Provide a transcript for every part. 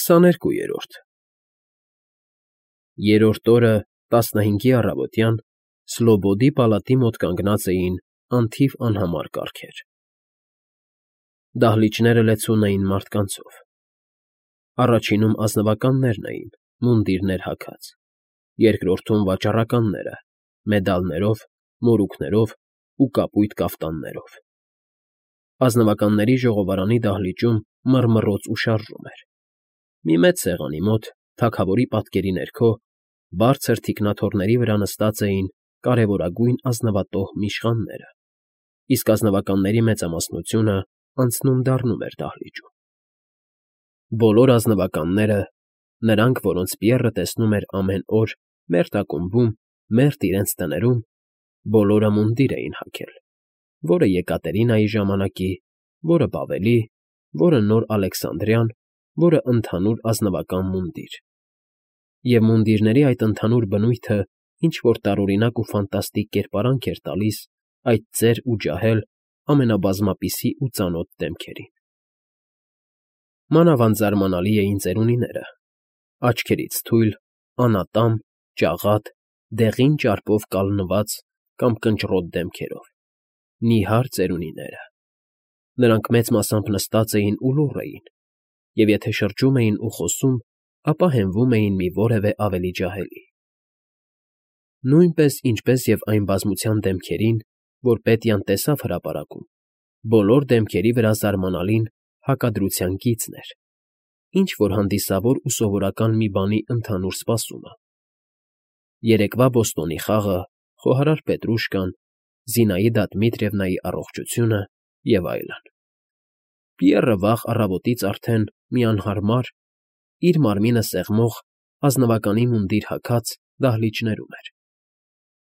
22-րդ Երրորդ օրը 15-ի առավոտյան Սլոբոդի պալատի մոտ կանգնած էին անթիվ անհամար կառքեր. դահլիճները լեցուն էին մարդկանցով, առաջինում ազնվականներն էին, մունդիրներ հագած, երկրորդում վաճառականները, մեդալներով, մորուքներով ու կապույտ կաֆտաններով. ազնվականների ժողովարանի դահլիճում մռմռոց ու շարժում էր. մի մեծ սեղանի մոտ, թագավորի պատկերի ներքո, բարձր թիկնաթոռների վրա նստած էին կարևորագույն ազնվատոհմի իշխանները, իսկ ազնվականների մեծամասնությունը անցնում֊դառնում էր դահլիճում. բոլոր ազնվականները, նրանք, որոնց Պիեռը տեսնում էր ամեն օր մերթ ակումբում, մերթ իրենց տներում, բոլորը մունդիր էին հագել, որը Եկատերինայի ժամանակի, որը Բավելի, որը նոր Ալեքսանդրյան, որը ընդհանուր ազնվական մունդիր, և մունդիրների այդ ընդհանուր բնույթը ինչ֊որ տարօրինակ ու ֆանտաստիկ կերպարանք էր տալիս այդ ծեր ու ջահել ամենաբազմապիսի ու ծանոթ դեմքերին. մանավանդ զարմանալի էին ծերունիները, աչքերից թույլ, անատամ, ճաղատ, դեղին ճարպով կալնված կամ կնճռոտ դեմքերով, նիհար ծերունիները. նրանք մեծ մասամբ նստած էին ու լուռ էին, և եթե շրջում էին ու խոսում, ապա հենվում էին մի որևէ ավելի ջահելի. նույնպես ինչպես և այն բազմության դեմքերին, որ Պետյան տեսավ հրապարակում, բոլոր դեմքերի վրա զարմանալին հակադրության գիծն էր, ինչ֊որ հանդիսավոր ու սովորական մի բանի ընդհանուր սպասումը. երեկվա բոստոնի խաղը, խոհարար Պետրուշկան, Զինաիդա Դմիտրիևնայի առողջությունը և այլն. Պիեռը վաղ առավոտից արդեն մի անհարմար, իր մարմինը սեղմող, ազնվականի մունդիր հագած դահլիճներում էր.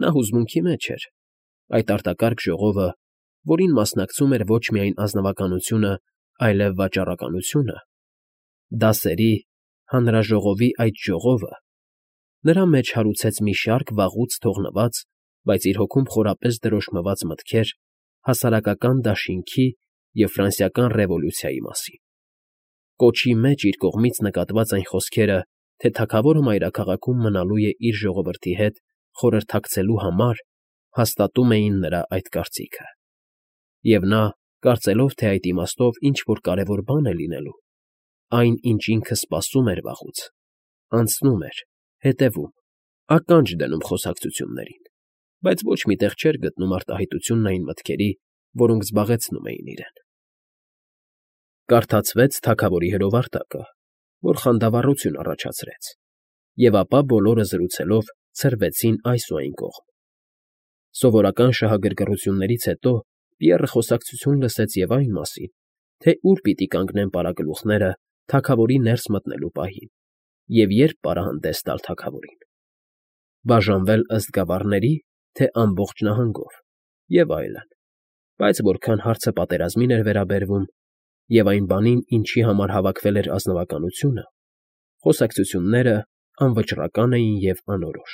նա հուզմունքի մեջ էր, այդ արտակարգ ժողովը, որին մասնակցում էր ոչ միայն ազնվականությունը, այլև վաճառականությունը, դասերի, հանրաժողովի այդ ժողովը, նրա մեջ հարուցեց մի շարք վաղուց թողնված, բայց իր հոգում խորապես դրոշմված մտքեր հասարակական դաշինքի և ֆրանսիական ռևոլյուցիայի մասին. կոչի մեջ իր կողմից նկատված այն խոսքերը, թե թագավորը մայրաքաղաքում մնալու է իր ժողովրդի հետ խորհրդակցելու համար, հաստատում էին նրա այդ կարծիքը, և նա, կարծելով, թե այդ իմաստով ինչ֊որ կարևոր բան է լինելու, այն, ինչ ինքը սպասում էր վաղուց, անցնում էր, հետևում, ականջ դնում խոսակցություններին, բայց ոչ մի տեղ չէր գտնում արտահայտությունն այն մտքերի, որոնք զբաղեցնում էին իրեն. Կարդացվեց թագավորի հրովարտակը, որ խանդավառություն առաջացրեց, և ապա բոլորը զրուցելով ցրվեցին այս ու այն կողմ. սովորական շահագրգռություններից հետո Պիեռը խոսակցություն լսեց և այն մասին, թե ուր պիտի կանգնեն պարագլուխները թագավորի ներս մտնելու պահին և երբ պարահանդես տալ թագավորին. բաժանվել ըստ գավառների, թե ամբողջ նահանգով և այլն, բայց որքան հարցը պատերազմին էր վերաբերվում և այն բանին, ինչի համար հավաքվել էր ազնվականությունը, խոսակցությունները անվճռական էին և անորոշ.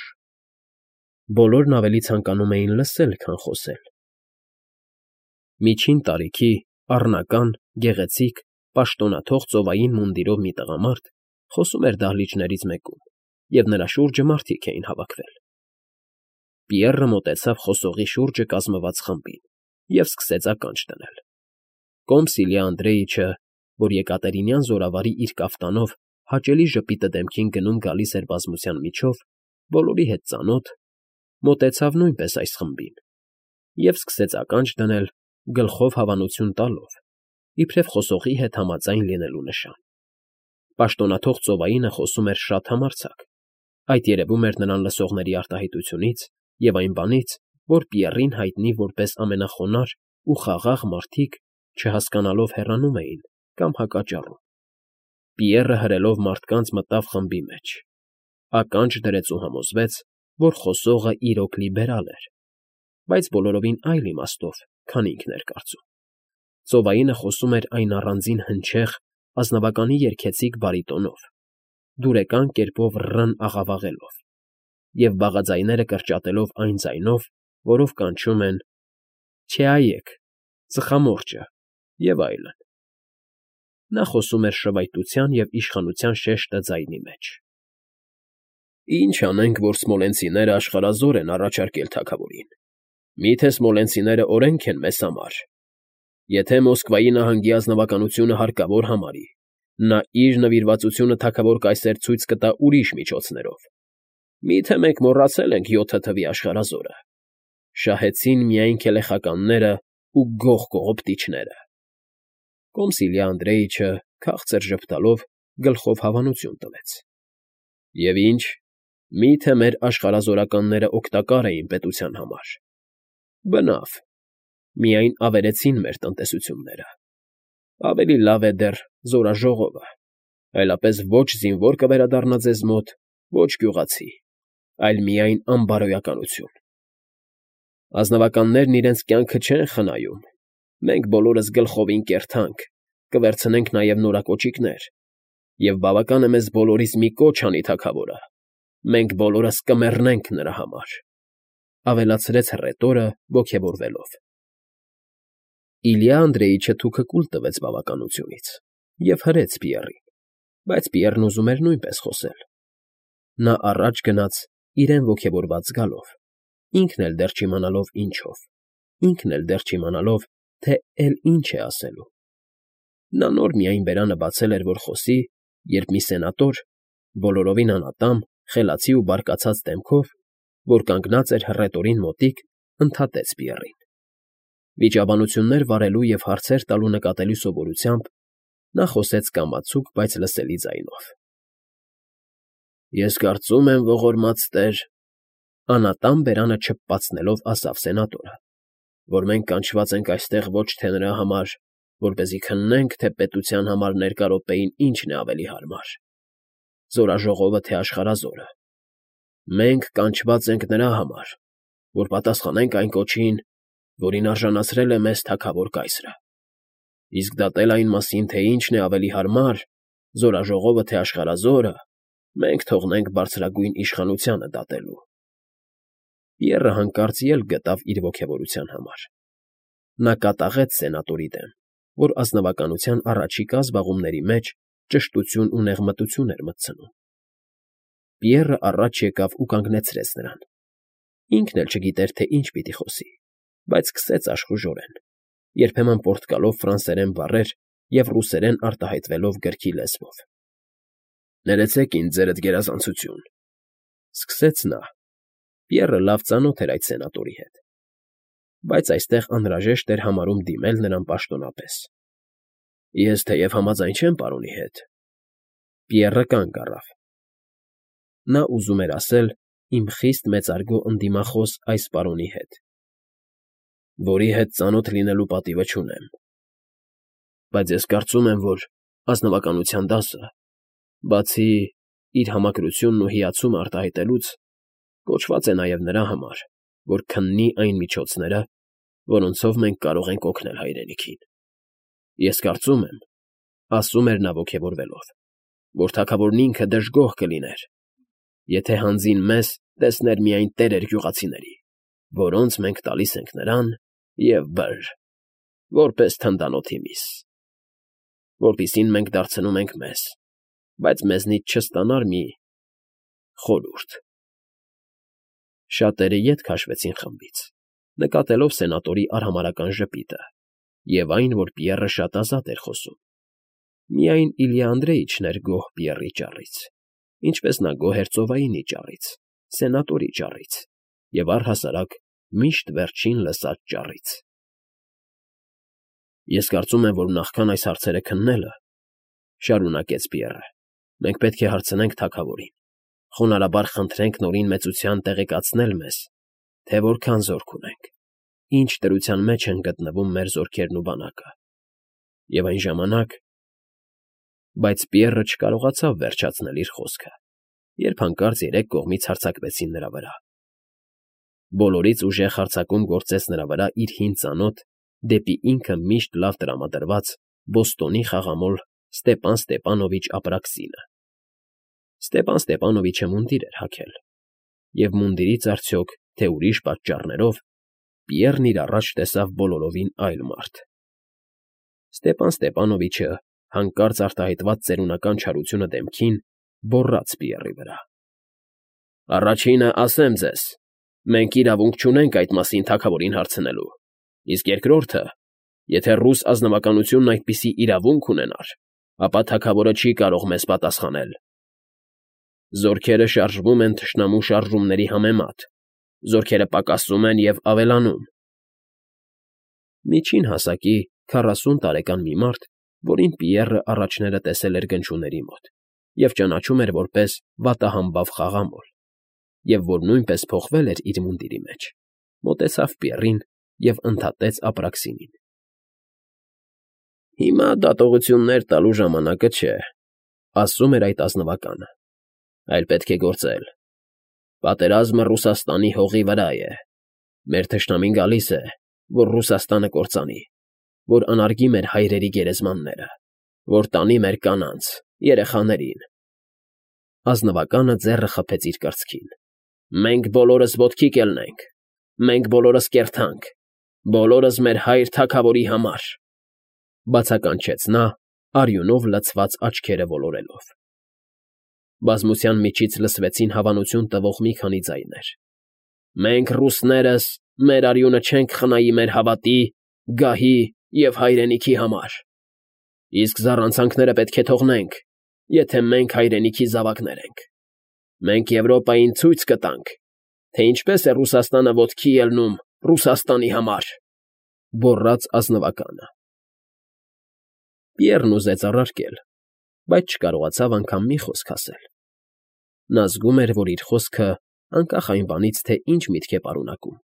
բոլորն ավելի ցանկանում էին լսել, քան խոսել. միջին տարիքի, առնական, գեղեցիկ, պաշտոնաթող ծովային մունդիրով մի տղամարդ խոսում էր դահլիճներից մեկում, և նրա շուրջը մարդիկ էին հավաքվել. Պիեռը մոտեցավ խոսողի շուրջը կազմված խմբին և սկսեց ականջ դնել. կոմս Իլյա Անդրեիչը, որ եկատերինյան զորավարի իր կաֆտանով հաճելի ժպիտը դեմքին գնում֊գալիս էր բազմության միջով, բոլորի հետ ծանոթ, մոտեցավ նույնպես այս խմբին և սկսեց ականջ դնել, գլխով հավանություն տալով, իբրև խոսողի հետ համաձայն լինելու նշան. պաշտոնաթող ծովայինը խոսում էր շատ համարձակ, այդ երևում էր նրան լսողների արտահայտությունից և այն բանից, որ Պիեռին հայտնի որպես ամենախոնարհ ու խաղաղ մարդիկ չհասկանալով հեռանում էին կամ հակաճառում. Պիեռը հրելով մարդկանց մտավ խմբի մեջ, ականջ դրեց ու համոզվեց, որ խոսողը իրոք լիբերալ էր, բայց բոլորովին այլ իմաստով, քան ինքն էր կարծում. ծովայինը խոսում էր այն առանձին հնչեղ, ազնվականի երգեցիկ բարիտոնով, դուրեկան կերպով ռ֊ն֊աղավաղելով և բաղաձայները կրճատելով այն ձայնով, որով կանչում են «Չէայեք», «Ծխամորճը» և այլն. Նա խոսում էր շվայտության և իշխանության շեշտը ձայնի մեջ։ Ինչ անենք, որ սմոլենցիները աշխարհազոր են առաջարկել թագավորին։ Մի՞թե սմոլենցիները օրենք են մեզ համար։ Եթե Մոսկվայի նահանգի ազնվականությունը հարկավոր համարի, նա իր նվիրվածությունը թագավոր կայսեր ցույց կտա ուրիշ միջոցներով։ Մի՞թե մենք մոռացել ենք 7 թվի աշխարհազորը։ Շահեցին միայն քելեխականները ու գող կողոպտիչները։ Կոմսիլյա Անդրեիչը քաղցր ժպտալով գլխով հավանություն տվեց։ Եվ ինչ, մի՞թե մեր աշխարհազորականները օգտակար էին պետության համար։ Բնավ, միայն ավերեցին մեր տնտեսությունները։ Ավելի լավ է դեռ զորաժողովը, այլապես ոչ զինվոր կվերադառնա ձեզ մոտ, ոչ գյուղացի, այլ միայն անբարոյականություն։ Ազնվականներն իրենց կյանքը չեն խնայում, մենք բոլորս գլխովին կերթանք, կվերցնենք նաև նորակոճիկներ, և բավական է մեզ բոլորիս մի կոչ անի թագավորը, մենք բոլորս կմեռնենք նրա համար,֊ ավելացրեց հռետորը ոգևորվելով։ Իլյա Անդրեիչը թուքը կուլ տվեց բավականությունից և հրեց Պիեռին, բայց Պիեռն ուզում էր նույնպես խոսել։ Նա առաջ գնաց իրեն ոգևորված զգալով, ինքն էլ դեռ չիմանալով ինչով, ինքն էլ դեռ չիմանալով, թե էլ ինչ է ասելու։ Նա նոր միայն բերանը բացել էր, որ խոսի, երբ մի սենատոր, բոլորովին անատամ, խելացի ու բարկացած դեմքով, որ կանգնած էր հռետորին մոտիկ, ընդհատեց Պիեռին։ Վիճաբանություններ վարելու և հարցեր տալու նկատելի սովորությամբ նա խոսեց կամացուկ, բայց լսելի ձայնով։ Ես կարծում եմ, ողորմած տեր, անատամ բերանը չփպացնելով ասավ սենատորը, որ մենք կանչված ենք այստեղ ոչ թե նրա համար, որպեսզի քննենք, թե պետության համար ներկա րոպեին ինչն է ավելի հարմար, զորաժողովը թե աշխարհազորը։ Մենք կանչված ենք նրա համար, որ պատասխանենք այն կոչին, որին արժանացրել է մեզ թագավոր կայսրը։ Իսկ դատել այն մասին, թե ինչն է ավելի հարմար, զորաժողովը թե աշխարհազորը, մենք թողնենք բարձրագույն իշխանությանը դատելու։ Պիեռը հանկարծ ելք գտավ իր ոգևորության համար։ Նա կատաղեց սենատորի դեմ, որ ազնվականության առաջիկա զբաղումների մեջ ճշտություն ու նեղմտություն էր մտցնում։ Պիեռը առաջ եկավ ու կանգնեցրեց նրան։ Ինքն էլ չգիտեր, թե ինչ պիտի խոսի, բայց սկսեց աշխուժորեն, երբեմն պոռթկալով ֆրանսերեն բառեր և ռուսերեն արտահայտվելով գրքի լեզվով։ Ներեցեք ինձ, ձերդ գերազանցություն,֊ սկսեց նա։ Պիեռը լավ ծանոթ էր այդ սենատորի հետ, բայց այստեղ անհրաժեշտ էր համարում դիմել նրան պաշտոնապես։ Ես թեև համաձայն չեմ պարոնի հետ։ Պիեռը կանգ առավ։ Նա ուզում էր ասել «իմ խիստ մեծարգո ընդդիմախոս այս պարոնի հետ», որի հետ ծանոթ լինելու պատիվը չունեմ։ Բայց ես կարծում եմ, որ ազնվականության դասը, բացի իր համակրությունն ու հիացումը արտահայտելուց, կոչված է նաև նրա համար, որ քննի այն միջոցները, որոնցով մենք կարող ենք օգնել հայրենիքին։ Ես կարծում եմ, ասում էր նա ոգևորվելով, որ թագավորն ինքը դժգոհ կլիներ, եթե հանձին մեզ տեսներ միայն տերեր գյուղացիների, որոնց մենք տալիս ենք նրան և բր, որպես թնդանոթի միս, որպիսին մենք դարձնում ենք մեզ, բայց մեզնից չստանար մի խորհուրդ։ Շատերը ետ քաշվեցին խմբից, նկատելով սենատորի արհամարհական ժպիտը և այն, որ Պիեռը շատ ազատ էր խոսում։ Միայն Իլյա Անդրեիչն էր գոհ Պիեռի ճառից, ինչպես նա գոհ էր ծովայինի ճառից, սենատորի ճառից և առհասարակ միշտ վերջին լսած ճառից։ Ես կարծում եմ, որ նախքան այս հարցերը քննելը, շարունակեց Պիեռը, մենք պետք է հարցնենք թագավորին, խոնարհաբար խնդրենք նորին մեծության տեղեկացնել մեզ, թե որքան զորք ունենք, ինչ դրության մեջ են գտնվում մեր զորքերն ու բանակը, և այն ժամանակ… Բայց Պիեռը չկարողացավ վերջացնել իր խոսքը, երբ հանկարծ երեք կողմից հարձակվեցին նրա վրա։ Բոլորից ուժեղ հարձակում գործեց նրա վրա իր հին ծանոթ, դեպի ինքը միշտ լավ տրամադրված Բոստոնի խաղամոլ Ստեպան Ստեպանովիչ Ապրաքսինը։ Ստեպան Ստեպանովիչը մունդիր էր հագել, և մունդիրից արդյոք, թե ուրիշ պատճառներով, Պիեռն իր առաջ տեսավ բոլորովին այլ մարդ։ Ստեպան Ստեպանովիչը Հանկարծ արտահայտված ծերունական չարությունը դեմքին, բոռաց Պիեռի վրա։ Առաջինը ասեմ ձեզ, մենք իրավունք չունենք այդ մասին թագավորին հարցնելու, իսկ երկրորդը, եթե ռուս ազնվականությունն այդպիսի իրավունք ունենար, ապա թագավորը չի կարող մեզ պատասխանել։ Զորքերը շարժվում են թշնամու շարժումների համեմատ, զորքերը պակասում են և ավելանում։ Միջին հասակի 40 տարեկան մի մարդ, որին Պիեռը առաջները տեսել էր գնչուների մոտ և ճանաչում էր որպես վատահամբավ խաղամոլ, և որ նույնպես փոխվել էր իր մունդիրի մեջ, մոտեցավ Պիեռին և ընդհատեց ապրաքսինին։ Հիմա դատողություններ տալու ժամանակը չէ, ասում էր այդ ազնվականը, այլ պետք է գործել։ Պատերազմը Ռուսաստանի հողի վրա է։ Մեր թշնամին գալիս է, որ Ռուսաստանը կործանի, որ անարգի մեր հայրերի գերեզմանները, որ տանի մեր կանանց, երեխաներին։ Ազնվականը ձեռը խփեց իր կրծքին։ Մենք բոլորս ոտքի կելնենք, մենք բոլորս կերթանք, բոլորս մեր հայր թագավորի համար, բացականչեց նա, արյունով լցված աչքերը ոլորելով։ Բազմության միջից լսվեցին հավանություն տվող մի քանի ձայներ։ Մենք ռուսներս մեր արյունը չենք խնայի մեր հավատի, գահի և հայրենիքի համար, իսկ զառանցանքները պետք է թողնենք, եթե մենք հայրենիքի զավակներ ենք։ Մենք Եվրոպային ցույց կտանք, թե ինչպես է Ռուսաստանը ոտքի ելնում Ռուսաստանի համար, բոռաց ազնվականը։ Պիեռն ուզեց առարկել, բայց չկարողացավ անգամ մի խոսք ասել։ Նա զգում էր, որ իր խոսքը, անկախ այն բանից, թե ինչ միտք է պարունակում,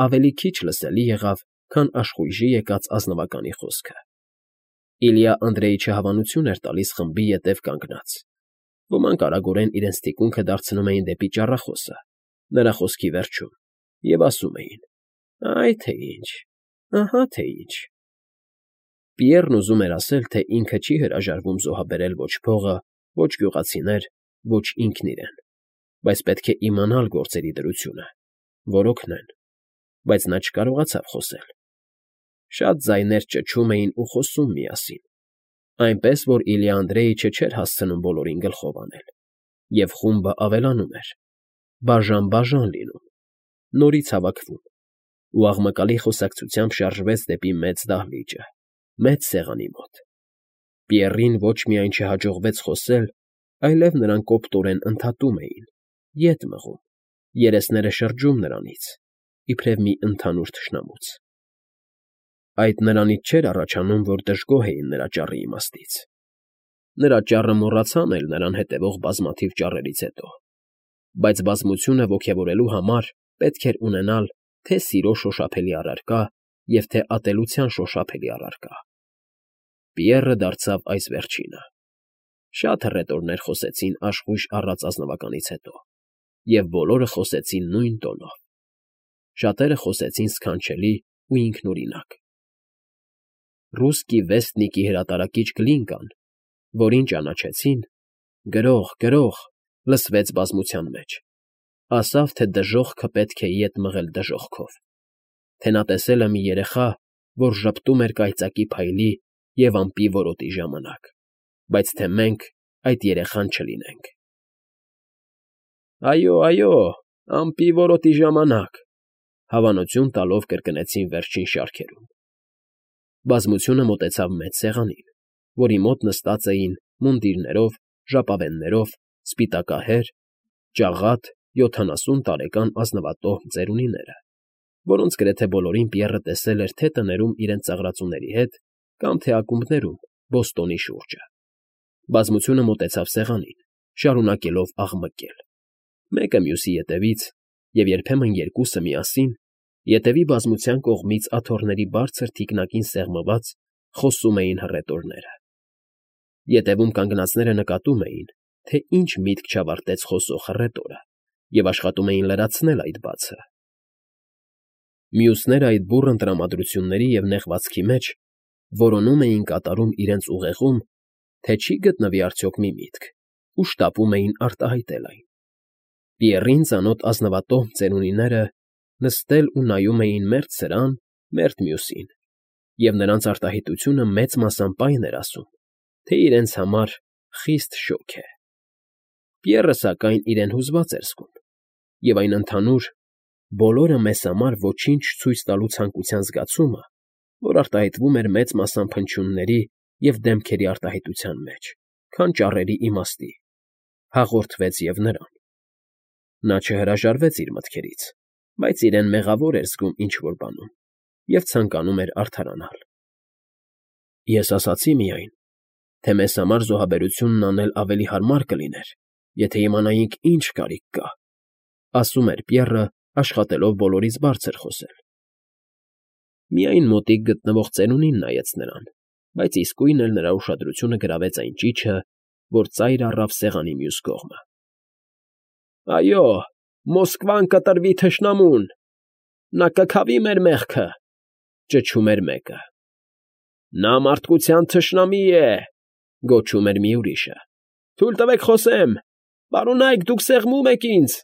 ավելի քիչ լսելի եղավ, քան աշխույժի եկած ազնվականի խոսքը։ Իլյա Անդրեիչը հավանություն էր տալիս խմբի ետև կանգնած։ Ոմանք արագորեն իրենց թիկունքը դարձնում էին դեպի ճառախոսը, նրա խոսքի վերջում, և ասում էին. «Այ թե ինչ, ահա թե ինչ»։ Պիեռն ուզում էր ասել, թե ինքը չի հրաժարվում զոհաբերել ոչ փողը, ոչ գյուղացիներ, ոչ ինքն իրեն, բայց պետք է իմանալ գործերի դրությունը, որ օգնեն, բայց նա չկարողացավ խոսել։ Շատ ձայներ ճչում էին ու խոսում միասին, այնպես որ Իլյա Անդրեիչը չէր հասցնում բոլորին գլխով անել, և խումբը ավելանում էր, բաժան լինում, նորից հավաքվում, ու աղմկալի խոսակցությամբ շարժվեց դեպի մեծ դահլիճը, մեծ սեղանի մոտ։ Պիեռին ոչ միայն չհաջողվեց խոսել, այլև նրան կոպտորեն ընդհատում էին, ետ մղում, երեսները շրջում նրանից, իբրև մի ընդհանուր թշնամուց։ Այդ նրանից չէր առաջանում, որ դժգոհ էին նրա ճառի իմաստից։ Նրա ճառը մոռացան էլ նրան հետևող բազմաթիվ ճառերից հետո, բայց բազմությունը ոգևորելու համար պետք էր ունենալ թե սիրո շոշափելի առարկա և թե ատելության շոշափելի առարկա։ Պիեռը դարձավ այս վերջինը։ Շատ հռետորներ խոսեցին աշխույժ առած ազնվականից հետո, և բոլորը խոսեցին նույն տոնով։ Շատերը խոսեցին սքանչելի ու ինքնուրինակ։ Ռուսկի վեստնիկի հրատարակիչ Գլինկան, որին ճանաչեցին, գրող, լսվեց բազմության մեջ, ասավ, թե դժոխքը պետք է ետ մղել դժոխքով, թե նա տեսել է մի երեխա, որ ժպտում էր կայծակի փայլի և ամպի որոտի ժամանակ, բայց թե մենք այդ երեխան չլինենք։ Այո, ամպի որոտի ժամանակ, հավանություն տալով կրկնեցին վերջին շարքերում։ Բազմությունը մոտեցավ մեծ սեղանին, որի մոտ նստած էին մունդիրներով, ժապավեններով, սպիտակահեր, ճաղատ 70 տարեկան ազնվատոհ ծերունիները, որոնց գրեթե բոլորին Պիեռը տեսել էր թե տներում իրենց ծաղրածուների հետ կամ թե ակումբներում բոստոնի շուրջը։ Բազմությունը մոտեցավ սեղանին, շարունակելով աղմկել, մեկը մյուսի ետևից և երբեմն երկուսը միասին, ետևի բազմության կողմից աթոռների բարձր թիկնակին սեղմված խոսում էին հռետորները։ Ետևում կանգնածները նկատում էին, թե ինչ միտք չավարտեց խոսող հռետորը, և աշխատում էին լրացնել այդ բացը։ Մյուսները այդ բուռն տրամադրությունների և նեղվածքի մեջ որոնում էին կատարում իրենց ուղեղում, թե չի գտնվի արդյոք մի միտք, ու շտապում էին արտահայտել այն։ Պիեռին ծանոթ ազնվատոհ ծերունիները նստել ու նայում էին մերթ սրան, մերթ մյուսին, և նրանց արտահայտությունը մեծ մասամբ այն էր ասում, թե իրենց համար խիստ շոգ է։ Պիեռը, սակայն, իրեն հուզված էր զգում, և այն ընդհանուր «բոլորը մեզ համար ոչինչ չցույց տալու» ցանկության զգացումը, որ արտահայտվում էր մեծ մասամբ հնչյունների և դեմքերի արտահայտության մեջ, քան ճառերի իմաստի, հաղորդվեց և նրան։ Նա չհրաժարվեց իր մտքերից, բայց իրեն մեղավոր էր զգում ինչ֊որ բանում և ցանկանում էր արդարանալ։ «Ես ասացի միայն, թե մեզ համար զոհաբերությունն անել ավելի հարմար կլիներ, եթե իմանայինք ինչ կարիք կա», ֊ ասում էր Պիեռը, աշխատելով բոլորից բարձր խոսել։ Միայն մոտիկ գտնվող ծերունին նայեց նրան, բայց իսկույն էլ նրա ուշադրությունը գրավեց այն ճիչը, որ ծայր առավ սեղանի մյուս կողմը։ «Այո, Մոսկվան կտրվի թշնամուն, նա կքավի մեր մեղքը», ֊ ճչում էր մեկը։ «Նա մարդկության թշնամի է», ֊ գոչում էր մի ուրիշը։ «Թույլ տվեք խոսեմ, պարոնայք, դուք սեղմում եք ինձ»,